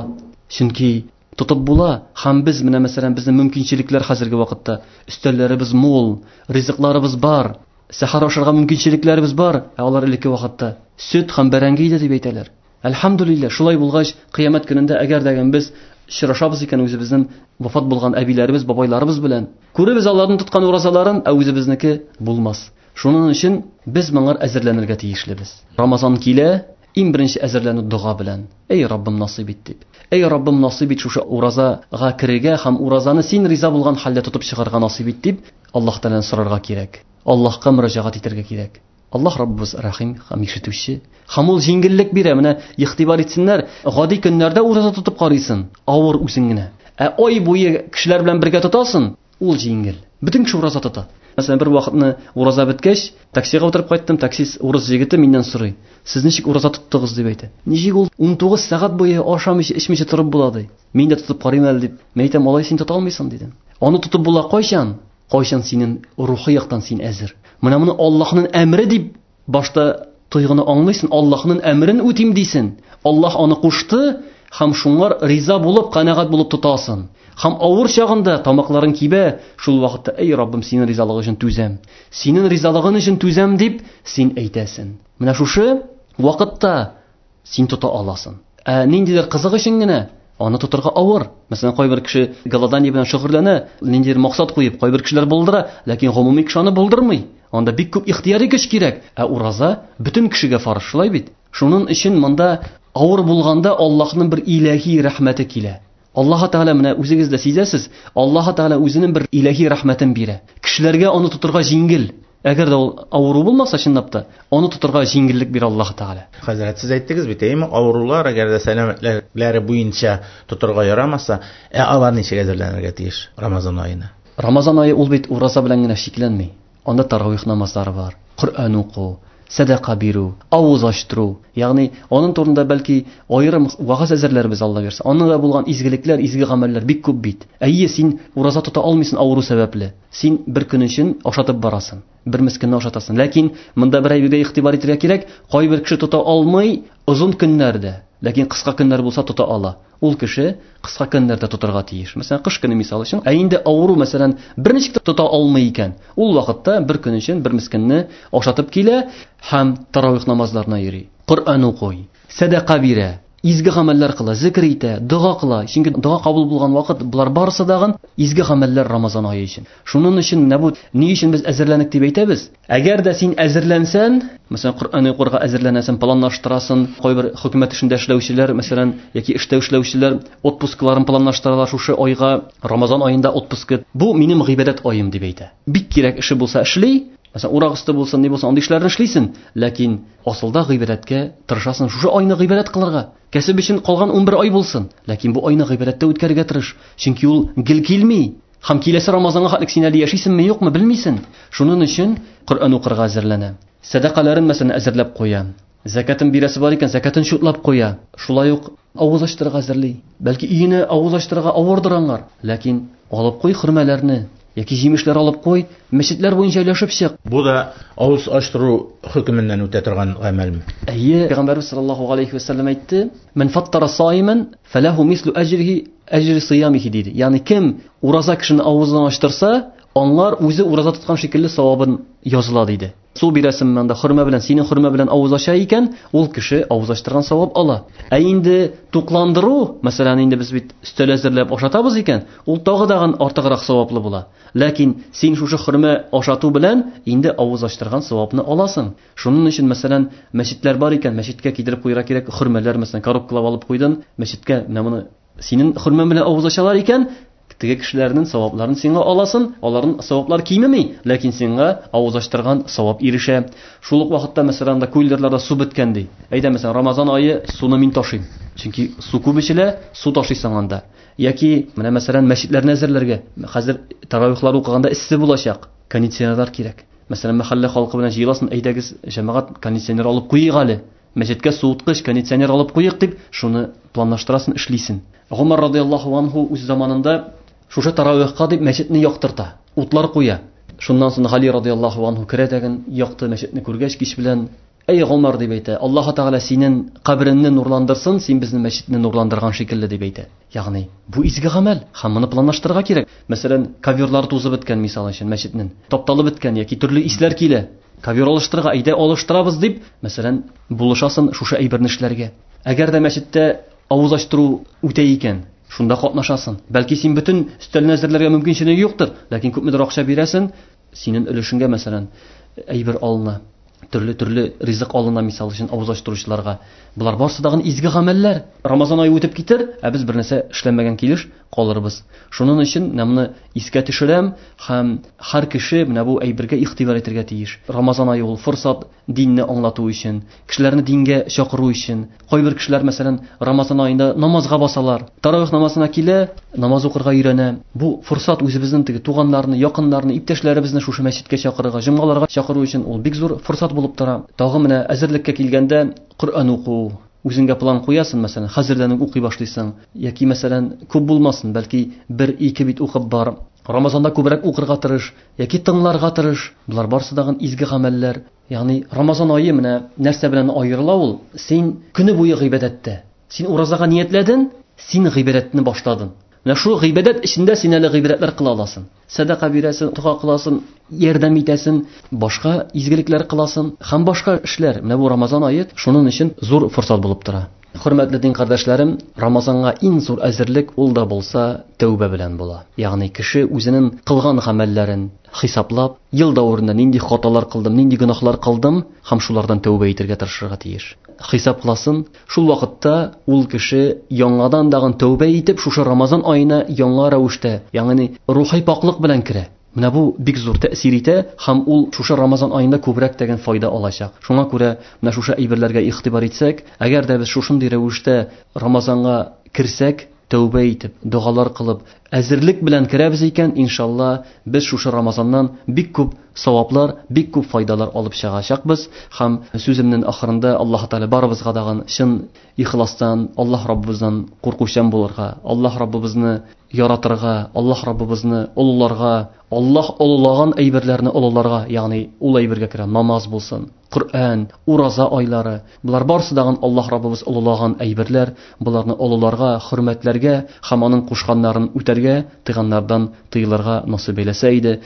Чөнки тотып була. Һәм без менә мәсәлән безнең мөмкинчелекләр хәзерге вакытта, өстәлләребез мул, ризыкларыбыз бар, сәхәр ашарга мөмкинчелекләребез бар, ә алар элекке вакытта сөт һәм бәрәңге иде дип әйтәләр. Әлхәмдүлилләһ, шулай булгач, кыямәт көнендә әгәр дә без Очрашабыз икән үзебезнең вафат булган әбиләребез, бабайларыбыз белән. Күребез аларның тоткан уразаларын, ә үзебезнеке булмас. Шуның өчен без моңа әзерләнергә тиешлебез. Рамазан килә, иң беренче әзерләнү дога белән. Эй Раббым, насыйп ит дип. Эй Раббым, насыйп ит шушы уразага керергә һәм уразаны син риза булган хәлдә тотып чыгарга насыйп ит дип Аллаһ Тәгаләдән сорарга кирәк. Аллаһка мөрәҗәгать итәргә кирәк. Аллаһ Раббыбыз рәхим һәм ишетүче. Һәм ул җиңеллек бирә. Менә игътибар итсеннәр, гади көннәрдә ураза тотып карыйсың, авыр үзең генә. Ә ай буе кешеләр белән бергә тотасың, ул җиңел. Бөтен кеше ураза тота. Мәсәлән, бер вакытны ураза беткәч, таксига утырып кайттым, таксист урыс егете миннән сорый. Сез ничек ураза тоттыгыз дип әйтә. Ничек ул 19 сәгать буе ашамыйча, эчмичә торып була ди. Мин дә тотып карыйм әле дип. Мин әйтәм, алай син тота алмыйсың дидем. Аны тотып була кайчан? Кайчан синең рухи яктан син әзер. Менә моны Аллаһның әмре дип башта тойгыны аңлыйсың, Аллаһның әмрен үтим дисен. Аллаһ аны кушты һәм шуңар риза булып, канәгать булып тотасың. Һәм авыр чагында тамакларың кибә, шул вакытта, эй Раббым, синең ризалыгың өчен түзәм. Синең ризалыгың өчен түзәм дип син әйтәсең. Менә шушы вакытта син тота аласың. Ә ниндидер кызык өчен генә аны тотырга авыр. Мәсәлән, кайбер кеше голодание белән шөгыльләнә, ниндидер максат куеп, кайбер кешеләр булдыра, ләкин гомуми кеше аны булдырмый. Анда бик күп ихтыяри көч кирәк. Ә ураза бөтен кешегә фарыз, шулай бит? Шуның өчен монда авыр булганда Аллаһның бер илаһи рәхмәте килә. Аллаһ Тәгалә, менә үзегез дә сизәсез, Аллаһ Тәгалә үзенең бер илаһи рәхмәтен бирә. Кешеләргә аны тотырга җиңел. Әгәр дә ул авыру булмаса, чынлап та, аны тотырга җиңеллек бирә Аллаһ Тәгалә. Хәзрәт, сез әйттегез бит, әйеме, авырулар, әгәр дә сәламәтләре буенча тотырга ярамаса, ә алар ничек әзерләнергә тиеш Рамазан аена? Рамазан ае ул бит ураза белән генә чикләнми. Анда таравих намазлары бар, Коръән уку, сәдака бирү, авыз ачтыру. Ягъни аның турында бәлки аерым вагаз әзерләрбез, Алла бирсә. Анда да булган изгелекләр, изге гамәлләр бик күп бит. Әйе, син ураза тота алмыйсың авыру сәбәпле. Син бер көн өчен ашатып барасың. Бер мескенне ашатасың. Ләкин монда бер әйбергә игътибар итәргә кирәк. Кайбер кеше тота алмый озын көннәрдә, ләкин кыска көннәр булса тота ала. Ул кеше кыска көннәрдә тотарга тиеш. Мәсәлән, кыш көне мисал өчен. Ә инде авыру, мәсәлән, берничек тә тота алмый икән, ул вакытта бер көн өчен бер мескенне ашатып килә һәм таравих намазларына йөри. Коръән укый, сәдака бирә, изге гамәлләр кыла, зикр итә, дога кыла. Чөнки дога кабул булган вакыт, болар барысы дагын изге гамәлләр Рамазан ае өчен. Шуның өчен менә бу ни өчен без әзерләнек дип әйтәбез? Әгәр дә син әзерләнсән, мәсәлән, Коръән укырга әзерләнәсең, планлаштырасың, кайбер хөкүмәт эшендә эшләүчеләр, мәсәлән, яки эштә эшләүчеләр отпускларын планлаштыралар шушы айга, Рамазан аенда отпуск. Бу минем гыйбадәт аем дип әйтә. Бик кирәк эше булса эшли, мәсәлән, урак өсте булсын, ни булсын, андый эшләрне эшлисең, ләкин асылда гыйбадәткә тырышасың, шушы айны гыйбадәт кылырга. Кәсеп өчен калган 11 ай булсын, ләкин бу айны гыйбадәттә үткәрергә тырыш, чөнки ул гел килми. Һәм киләсе Рамазанга хәтлек син әле яшисеңме, юкмы, белмисең. Шуның өчен Коръән укырга әзерләнә. Сәдакаларын, мәсәлән, әзерләп куя. Зәкәтен бирәсе бар икән, зәкәтен чутлап куя. Шулай ук авыз ачтырырга әзерли. Бәлки өенә авыз ачтырырга авырдыр аңар, ләкин алып куй хөрмәләрне яки җимешләр алып куй, мәчетләр буенча өләшеп чык. Бу да авыз ачтыру хөкеменнән үтә торган гамәлме? Әйе, Пәйгамбәрбез саллаллаһу алейхи ва саллям әйтте: "Ман фаттара саиман фалаху мислу аҗрихи әҗри сиямихи" диде. Ягъни кем ураза кешене авызын ачтырса, аңар үзе ураза тоткан шикелле савабын языла диде. Су бирәсең монда хөрмә белән, синең хөрмә белән авыз ача икән, ул кеше авыз ачтырган савап ала. Ә инде тукландыру, мәсәлән, инде без бит өстәл әзерләп ашатабыз икән, ул тагы да артыграк саваплы була. Ләкин син шушы хөрмә ашату белән инде авыз ачтырган савапны аласың. Шуның өчен, мәсәлән, мәчетләр бар икән, мәчеткә китереп куярга кирәк хөрмәләр, мәсәлән, коробкалап алып куйдың, мәчеткә менә моны синең хөрмә белән авыз ачалар икән, теге кешеләрнең савапларын сиңа аласың, аларның саваплары кимеми, ләкин сиңа авыз ачтырган савап ирешә. Шул ук вакытта, мәсәлән, анда куллерларда су беткән ди. Әйдә, мәсәлән, Рамазан ае суны мин ташыйм. Чөнки су күп эчелә, су ташыйсың анда. Яки менә мәсәлән, мәчетләрне әзерләргә. Хәзер таравихлар укыганда эссе булачак, кондиционерлар кирәк. Мәсәлән, мәхәллә халкы белән җыеласың, әйдәгез, җәмәгать, кондиционер алып куйык әле. Мәчеткә суыткыч, кондиционер алып куйык дип, шуны планлаштырасың, эшлисең. Гомар радияллаһу анһу үз заманында шушы таравихка дип мәчетне яктырта, утлар куя. Шуннан соң Гали радияллаһу анһу керә дәген якты мәчетне күргәч кич белән, "Әй Гомар" дип әйтә, "Аллаһ Тәгалә синең кабереңне нурландырсын, син безнең мәчетне нурландырган шикелле" дип әйтә. Ягъни бу изге гамәл, һәм моны планлаштырырга кирәк. Мәсәлән, коверлар тузып беткән мисал өчен мәчетнең, тапталып беткән яки төрле исләр килә. Ковер алыштырырга, әйдә алыштырабыз дип, мәсәлән, булышасың шушы әйберне эшләргә. Әгәр дә мәчеттә авыз ачтыру үтә икән, Шунда катнашасың. Бәлки син бөтен өстәлне әзерләргә мөмкинчелеге юктыр, ләкин күпмедер акча бирәсең, синең өлешеңгә, мәсәлән, әйбер алына, төрле-төрле ризык алына, мисал өчен, авыз ачтыручыларга. Болар барысы тагын изге гамәлләр. Рамазан ае үтеп китер, ә без бер нәрсә эшләмәгән килеш калырбыз. Шуның өчен менә моны искә төшерәм һәм һәр кеше менә бу әйбергә игътибар итәргә тиеш. Рамазан ае ул форсат динне аңлату өчен, кешеләрне дингә чакыру өчен. Кайбер кешеләр, мәсәлән, Рамазан аенда намазга басалар. Таравих намазына килә, намаз укырга өйрәнә. Бу форсат үзебезнең теге туганнарны, якыннарны, иптәшләребезне шушы мәчеткә чакырырга, җомгаларга чакыру өчен ул бик зур форсат булып тора. Тагы менә әзерлеккә килгәндә Коръән уку, үзеңгә план куясың, мәсәлән, хәзердән үк укый башлыйсың. Яки, мәсәлән, күп булмасын, бәлки бер-ике бит укып бар. Рамазанда күбрәк укырга тырыш, яки тыңларга тырыш. Болар барысы тагын изге гамәлләр. Ягъни Рамазан ае менә нәрсә белән аерыла ул? Син көне буе гыйбадәттә. Син уразага ниятләдең, син гыйбадәтне башладың. Менә шул гыйбадәт эчендә син әле гыйбадәтләр кыла аласың. Сәдака бирәсең, дога кыласың, ярдәм итәсең, башка изгелекләр кыласың һәм башка эшләр. Менә бу Рамазан ае шуның өчен зур форсат булып тора. Хөрмәтле дин кардәшләрем, Рамазанга иң зур әзерлек ул да булса тәүбә белән була. Ягъни кеше үзенең кылган гамәлләрен хисаплап, ел дәверендә нинди хаталар кылдым, нинди гөнаһлар кылдым һәм шулардан тәүбә итәргә тырышырга тиеш. Хисап кыласын, шул вакытта ул кеше яңадан дагын тәүбә итеп, шушы Рамазан аена яңа рәвештә, ягъни рухи пакълык белән керә. Менә бу бик зур тәэсир итә һәм ул шушы Рамазан аенда күбрәк дигән файда алачак. Шуңа күрә менә шушы әйберләргә игътибар итсәк, әгәр дә без шушындый рәвештә Рамазанга керсәк, тәүбә итеп, догалар кылып, әзерлек белән керәбез икән, иншалла, без шушы Рамазаннан бик күп саваплар, бик күп файдалар алып чыгачакбыз. Һәм сүземнең ахырында Аллаһ Тәгалә барыбызга дагын чын ихластан Аллаһ Раббыбыздан куркучан булырга, Аллаһ Раббыбызны яратырга, Аллаһ Раббыбызны олыларга, Аллаһ олылаган әйберләрне олыларга, ягъни ул әйбергә керә намаз булсын, Коръән, ураза айлары, болар барысы дагын Аллаһ Раббыбыз олылаган әйберләр, боларны олыларга, хөрмәтләргә һәм аның кушканнарын үтәргә, тыйганнардан тыелырга насыйп әйләсә иде.